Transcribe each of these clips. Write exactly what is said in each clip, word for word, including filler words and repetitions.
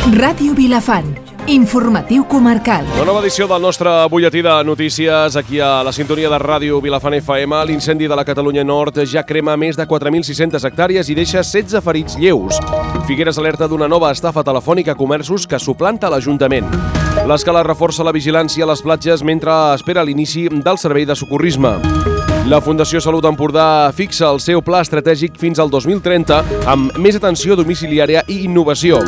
Ràdio Vilafant, informatiu comarcal. La nova edició del nostre butlletí de notícies aquí a la sintonia de Ràdio Vilafant F M. L'incendi de la Catalunya Nord ja crema més de quatre mil sis-centes hectàrees i deixa setze ferits lleus. Figueres alerta d'una nova estafa telefònica a comerços que suplanta l'Ajuntament. L'escala reforça la vigilància a les platges mentre espera l'inici del servei de socorrisme. La Fundació Salut Empordà fixa el seu pla estratègic fins al dos mil trenta amb més atenció domiciliària i innovació.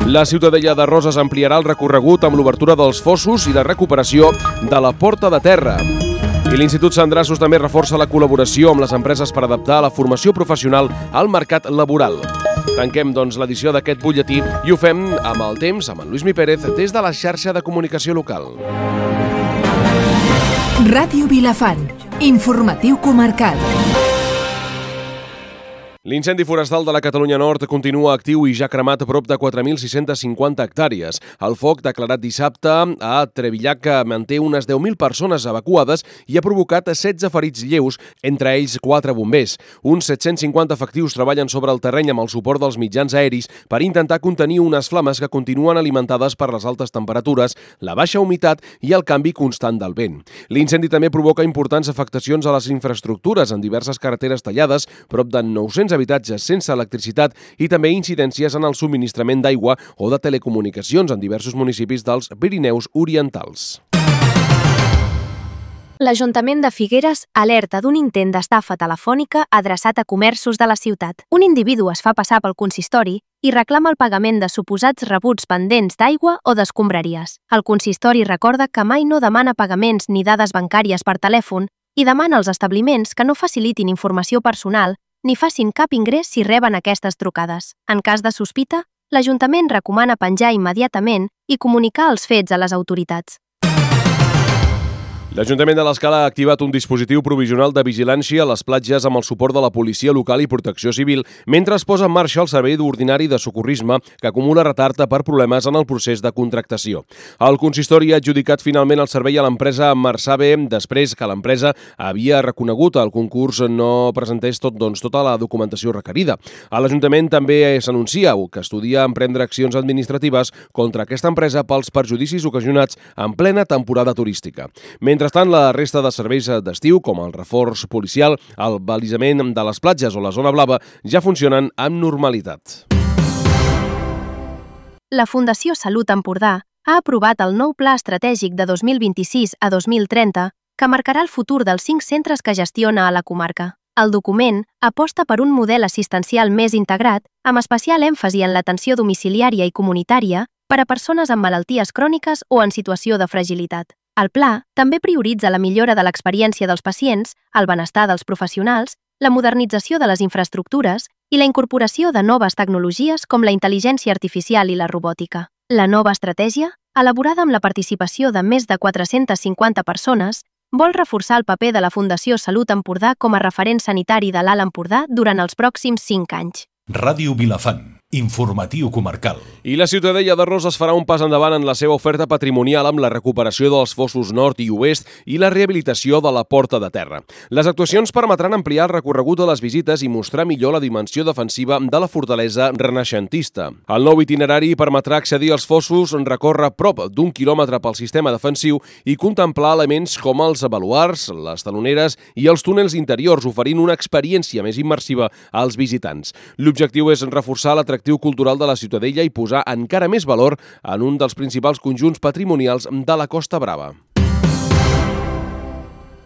La Ciutadella de Roses ampliarà el recorregut amb l'obertura dels fossos i la recuperació de la porta de terra. I l'Institut Sandraços també reforça la col·laboració amb les empreses per adaptar la formació professional al mercat laboral. Tanquem, doncs, l'edició d'aquest butlletí i ho fem amb el temps, amb en Lluís Mi Pérez, des de la xarxa de comunicació local. Ràdio Vilafant, informatiu comarcal. L'incendi forestal de la Catalunya Nord continua actiu i ja ha cremat a prop de quatre mil sis-centes cinquanta hectàrees. El foc, declarat dissabte a Trevillac, manté unes deu mil persones evacuades i ha provocat setze ferits lleus, entre ells quatre bombers. Uns set-cents cinquanta efectius treballen sobre el terreny amb el suport dels mitjans aeris per intentar contenir unes flames que continuen alimentades per les altes temperatures, la baixa humitat i el canvi constant del vent. L'incendi també provoca importants afectacions a les infraestructures en diverses carreteres tallades, prop de nou-cents habitatges sense electricitat i també incidències en el subministrament d'aigua o de telecomunicacions en diversos municipis dels Pirineus Orientals. L'Ajuntament de Figueres alerta d'un intent d'estafa telefònica adreçat a comerços de la ciutat. Un individu es fa passar pel consistori i reclama el pagament de suposats rebuts pendents d'aigua o d'escombraries. El consistori recorda que mai no demana pagaments ni dades bancàries per telèfon i demana als establiments que no facilitin informació personal ni facin cap ingrés si reben aquestes trucades. En cas de sospita, l'Ajuntament recomana penjar immediatament i comunicar els fets a les autoritats. L'Ajuntament de l'Escala ha activat un dispositiu provisional de vigilància a les platges amb el suport de la policia local i protecció civil mentre es posa en marxa el servei ordinari de socorrisme que acumula retard per problemes en el procés de contractació. El consistori ha adjudicat finalment el servei a l'empresa Marsabe després que l'empresa havia reconegut el concurs no presentés tot, doncs, tota la documentació requerida. A l'Ajuntament també s'anuncia que estudia emprendre accions administratives contra aquesta empresa pels perjudicis ocasionats en plena temporada turística. Mentrestant, la resta de serveis d'estiu, com el reforç policial, el balisament de les platges o la zona blava, ja funcionen amb normalitat. La Fundació Salut Empordà ha aprovat el nou Pla Estratègic de dos mil vint-i-sis a dos mil trenta que marcarà el futur dels cinc centres que gestiona a la comarca. El document aposta per un model assistencial més integrat, amb especial èmfasi en l'atenció domiciliària i comunitària per a persones amb malalties cròniques o en situació de fragilitat. El pla també prioritza la millora de l'experiència dels pacients, el benestar dels professionals, la modernització de les infraestructures i la incorporació de noves tecnologies com la intel·ligència artificial i la robòtica. La nova estratègia, elaborada amb la participació de més de quatre-centes cinquanta persones, vol reforçar el paper de la Fundació Salut Empordà com a referent sanitari de l'Alt Empordà durant els pròxims cinc anys. Ràdio Vilafant, informatiu comarcal. I la Ciutadella de Roses farà un pas endavant en la seva oferta patrimonial amb la recuperació dels fossos nord i oest i la rehabilitació de la porta de terra. Les actuacions permetran ampliar el recorregut de les visites i mostrar millor la dimensió defensiva de la fortalesa renaixentista. El nou itinerari permetrà accedir als fossos, recórrer prop d'un quilòmetre pel sistema defensiu i contemplar elements com els baluards, les taloneres i els túnels interiors, oferint una experiència més immersiva als visitants. L'objectiu és reforçar l'atractiu cultural de la Ciutadella i posar encara més valor en un dels principals conjunts patrimonials de la Costa Brava.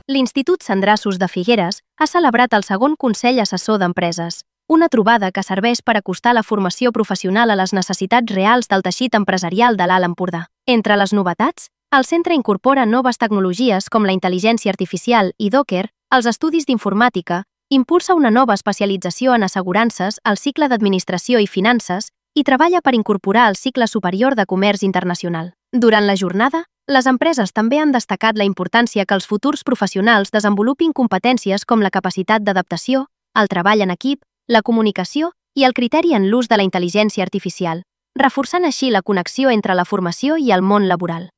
L'Institut Sandraços de Figueres ha celebrat el segon Consell Assessor d'Empreses, una trobada que serveix per acostar la formació professional a les necessitats reals del teixit empresarial de l'Alt Empordà. Entre les novetats, el centre incorpora noves tecnologies com la intel·ligència artificial i Docker, els estudis d'informàtica, impulsa una nova especialització en assegurances al cicle d'administració i finances i treballa per incorporar el cicle superior de comerç internacional. Durant la jornada, les empreses també han destacat la importància que els futurs professionals desenvolupin competències com la capacitat d'adaptació, el treball en equip, la comunicació i el criteri en l'ús de la intel·ligència artificial, reforçant així la connexió entre la formació i el món laboral.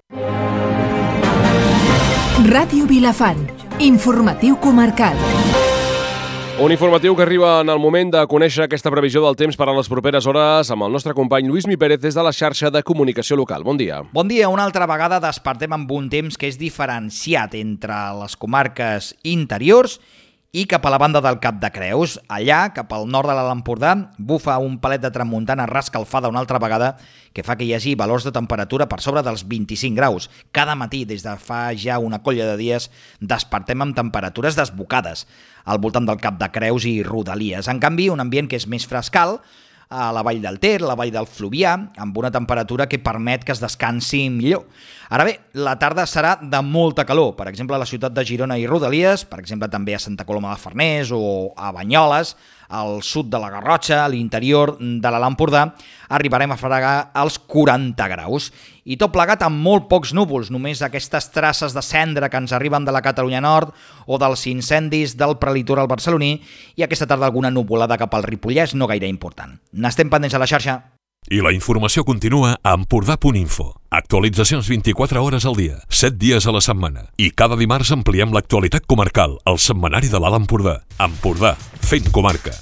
Ràdio Vilafant, informatiu comarcal. Un informatiu que arriba en el moment de conèixer aquesta previsió del temps per a les properes hores amb el nostre company Lluís Mi Pérez des de la xarxa de comunicació local. Bon dia. Bon dia. Una altra vegada despertem amb un temps que és diferenciat entre les comarques interiors i cap a la banda del Cap de Creus. Allà, cap al nord de l'Alt Empordà, bufa un palet de tramuntana rescalfada una altra vegada que fa que hi hagi valors de temperatura per sobre dels vint-i-cinc graus. Cada matí, des de fa ja una colla de dies, despertem amb temperatures desbocades al voltant del Cap de Creus i rodalies. En canvi, un ambient que és més frescal a la vall del Ter, la vall del Fluvià, amb una temperatura que permet que es descansi millor. Ara bé, la tarda serà de molta calor, per exemple a la ciutat de Girona i rodalies, per exemple també a Santa Coloma de Farners o a Banyoles, al sud de la Garrotxa, a l'interior de l'Alt Empordà, arribarem a fregar als quaranta graus. I tot plegat amb molt pocs núvols, només aquestes traces de cendra que ens arriben de la Catalunya Nord o dels incendis del prelitoral barceloní i aquesta tarda alguna nuvolada cap al Ripollès, no gaire important. N'estem pendents a la xarxa. I la informació continua a empordà punt info. Actualitzacions vint-i-quatre hores al dia, set dies a la setmana. I cada dimarts ampliem l'actualitat comarcal al setmanari de l'Alt Empordà. Empordà, fent comarca.